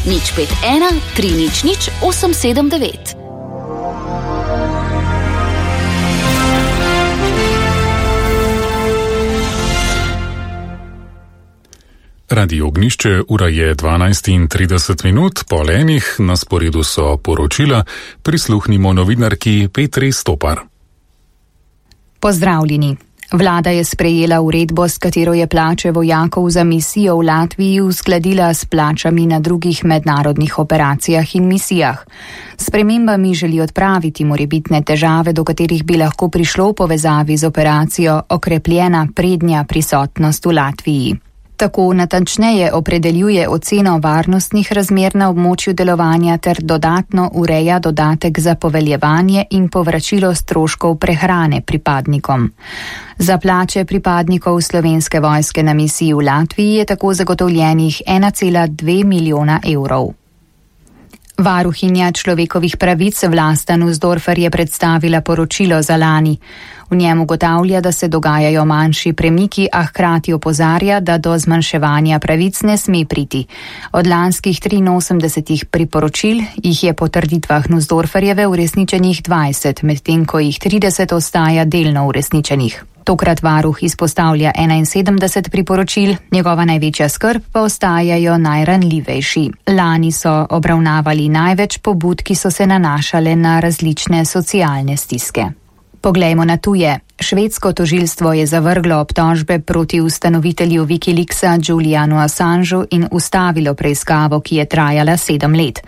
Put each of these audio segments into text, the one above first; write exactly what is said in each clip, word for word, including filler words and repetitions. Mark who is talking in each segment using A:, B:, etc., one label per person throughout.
A: nič pet ena tri nič nič osem sedem devet.
B: Radio Ognjišče, ura je dvanajst in trideset minut, pol enih, na sporedu so poročila, prisluhnimo novinarki Petri Stopar.
C: Pozdravljeni. Vlada je sprejela uredbo, s katero je plače vojakov za misijo v Latviji uskladila s plačami na drugih mednarodnih operacijah in misijah. S spremembami želi odpraviti morebitne težave, do katerih bi lahko prišlo v povezavi z operacijo okrepljena prednja prisotnost v Latviji. Tako natančneje opredeljuje oceno varnostnih razmer na območju delovanja ter dodatno ureja dodatek za poveljevanje in povračilo stroškov prehrane pripadnikom. Za plače pripadnikov Slovenske vojske na misiji v Latviji je tako zagotovljenih ena cela dve milijona evrov. Varuhinja človekovih pravic Vlasta Nussdorfer je predstavila poročilo za lani. V njem ugotavlja, da se dogajajo manjši premiki, a hkrati opozarja, da do zmanjševanja pravic ne sme priti. Od lanskih triinosemdesetih priporočil jih je po trditvah Nussdorferjeve uresničenih dvajset, medtem ko jih trideset ostaja delno uresničenih. Tokrat varuh izpostavlja enainsedemdeset priporočil, njegova največja skrb pa ostajajo najranljivejši. Lani so obravnavali največ pobud, ki so se nanašale na različne socialne stiske. Poglejmo na tuje. Švedsko tožilstvo je zavrglo obtožbe proti ustanovitelju Wikileaksa Julianu Assangeu in ustavilo preiskavo, ki je trajala sedem let.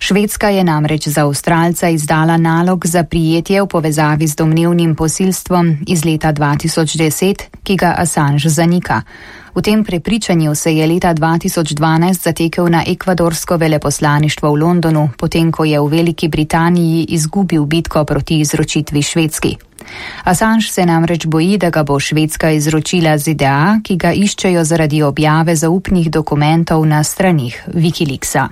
C: Švedska je namreč za Avstralca izdala nalog za prijetje v povezavi z domnevnim posilstvom iz leta dva tisoč deset, ki ga Assange zanika. V tem prepričanju se je leta dva tisoč dvanajst zatekel na ekvadorsko veleposlaništvo v Londonu, potem ko je v Veliki Britaniji izgubil bitko proti izročitvi Švedski. Assange se namreč boji, da ga bo Švedska izročila Z D A, ki ga iščejo zaradi objave zaupnih dokumentov na stranih Wikileaksa.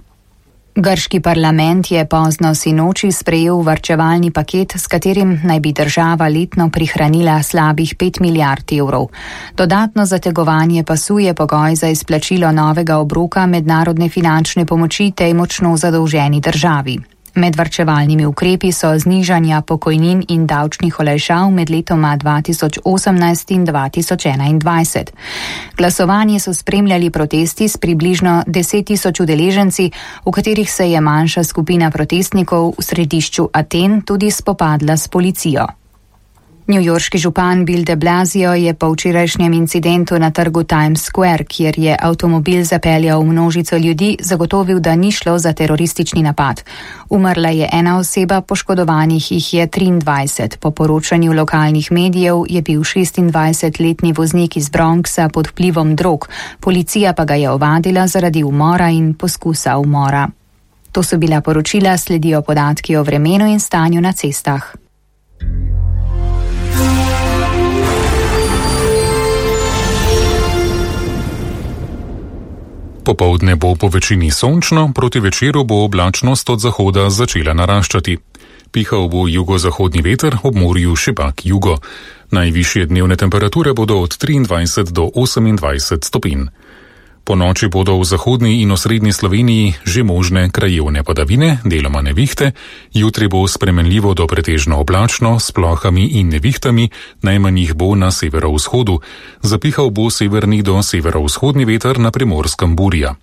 C: Grški parlament je pozno sinoči sprejel varčevalni paket, s katerim naj bi država letno prihranila slabih pet milijard evrov. Dodatno zategovanje pasu je pogoj za izplačilo novega obroka mednarodne finančne pomoči tej močno zadolženi državi. Med varčevalnimi ukrepi so znižanja pokojnin in davčnih olajšav med letoma dva tisoč osemnajst in dva tisoč enaindvajset. Glasovanje so spremljali protesti s približno deset tisoč udeleženci, v katerih se je manjša skupina protestnikov v središču Aten tudi spopadla s policijo. Newyorški župan Bill de Blasio je po včerajšnjem incidentu na trgu Times Square, kjer je avtomobil zapeljal množico ljudi, zagotovil, da ni šlo za teroristični napad. Umrla je ena oseba, poškodovanih jih je triindvajset. Po poročanju lokalnih medijev je bil šestindvajsetletni voznik iz Bronxa pod vplivom drog, policija pa ga je ovadila zaradi umora in poskusa umora. To so bila poročila, sledijo podatki o vremenu in stanju na cestah.
B: Popoldne bo po večini sončno, proti večeru bo oblačnost od zahoda začela naraščati. Pihal bo jugozahodni veter, ob morju šipak jugo. Najvišje dnevne temperature bodo od triindvajset do osemindvajset stopinj. Po noči bodo v zahodni in osrednji Sloveniji že možne krajevne padavine, deloma nevihte, jutri bo spremenljivo do pretežno oblačno, s plohami in nevihtami, najmanj jih bo na severovzhodu, zapihal bo severni do severovzhodni veter, na Primorskem burja.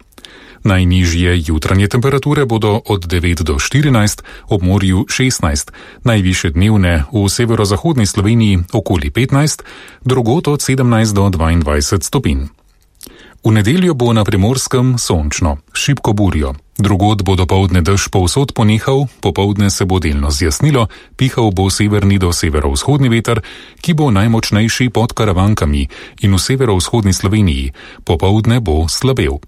B: Najnižje jutranje temperature bodo od devet do štirinajst, ob morju šestnajst, najvišje dnevne v severozahodni Sloveniji okoli petnajst, drugod od sedemnajst do dvaindvajset stopinj. V nedeljo bo na Primorskem sončno, šibko burjo. Drugod bo dopoldne dež povsod ponehal, popoldne se bo delno zjasnilo, pihal bo severni do severovzhodni veter, ki bo najmočnejši pod Karavankami in v severovzhodni Sloveniji, popoldne bo slabel.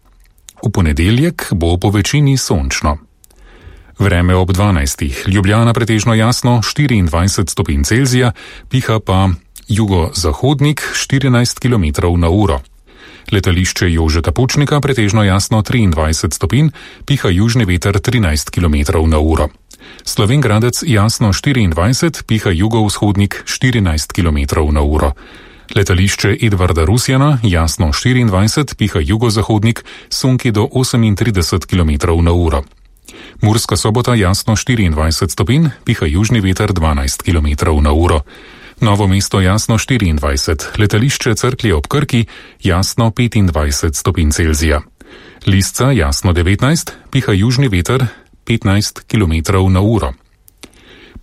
B: V ponedeljek bo po večini sončno. Vreme ob dvanajstih, Ljubljana pretežno jasno, štiriindvajset stopinj Celzija, piha pa jugozahodnik štirinajst kilometrov na uro. Letališče Jožeta Pučnika pretežno jasno triindvajset stopinj, piha južni veter trinajst kilometrov na uro. Slovenj Gradec jasno štiriindvajset, piha jugovzhodnik štirinajst kilometrov na uro. Letališče Edvarda Rusjana, jasno štiriindvajset, piha jugozahodnik, sunki do osemintrideset kilometrov na uro. Murska Sobota, jasno štiriindvajset stopinj, piha južni veter dvanajst kilometrov na uro. Novo mesto, jasno štiriindvajset, letališče Cerklje ob Krki, jasno petindvajset stopinj Celzija. Lisca, jasno devetnajst, piha južni veter petnajst kilometrov na uro.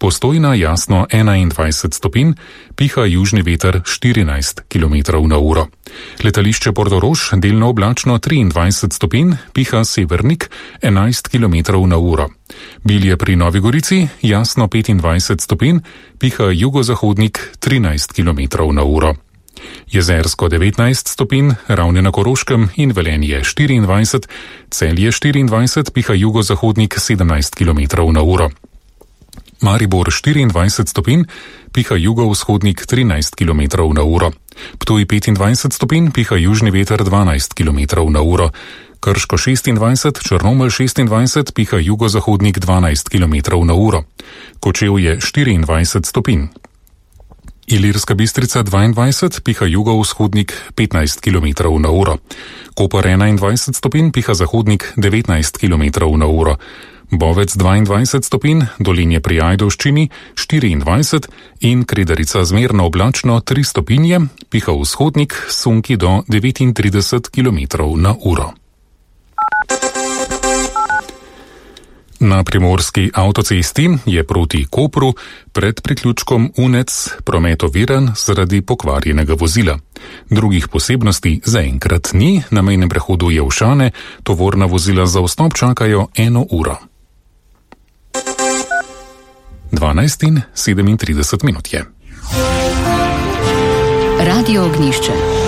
B: Postojna, jasno enaindvajset stopinj, piha južni veter štirinajst kilometrov na uro. Letališče Portorož, delno oblačno triindvajset stopinj, piha severnik enajst kilometrov na uro. Bilje pri Novi Gorici, jasno petindvajset stopinj, piha jugozahodnik trinajst kilometrov na uro. Jezersko devetnajst stopinj, Ravne na Koroškem in Velenje štiriindvajset, Celje štiriindvajset, piha jugozahodnik sedemnajst kilometrov na uro. Maribor štiriindvajset stopinj, piha jugovzhodnik trinajst kilometrov na uro. Ptuj petindvajset stopinj, piha južni veter dvanajst kilometrov na uro. Krško šestindvajset, Črnomelj šestindvajset, piha jugozahodnik dvanajst kilometrov na uro. Kočevje štiriindvajset stopinj. Ilirska Bistrica dvaindvajset, piha jugovzhodnik petnajst kilometrov na uro. Koper enaindvajset stopinj, piha zahodnik devetnajst kilometrov na uro. Bovec dvaindvajset stopinj, Dolenje pri Ajdovščini štiriindvajset in Kredarica zmerno oblačno tri stopinje, piha vzhodnik, sunki do devetintrideset kilometrov na uro. Na primorski avtocesti je proti Kopru pred priključkom Unec promet oviran zaradi pokvarjenega vozila. Drugih posebnosti zaenkrat ni, na mejnem prehodu Jelšane tovorna vozila za vstop čakajo eno uro. dvanajst in sedemintrideset minut je.
A: Radio Ognjišče.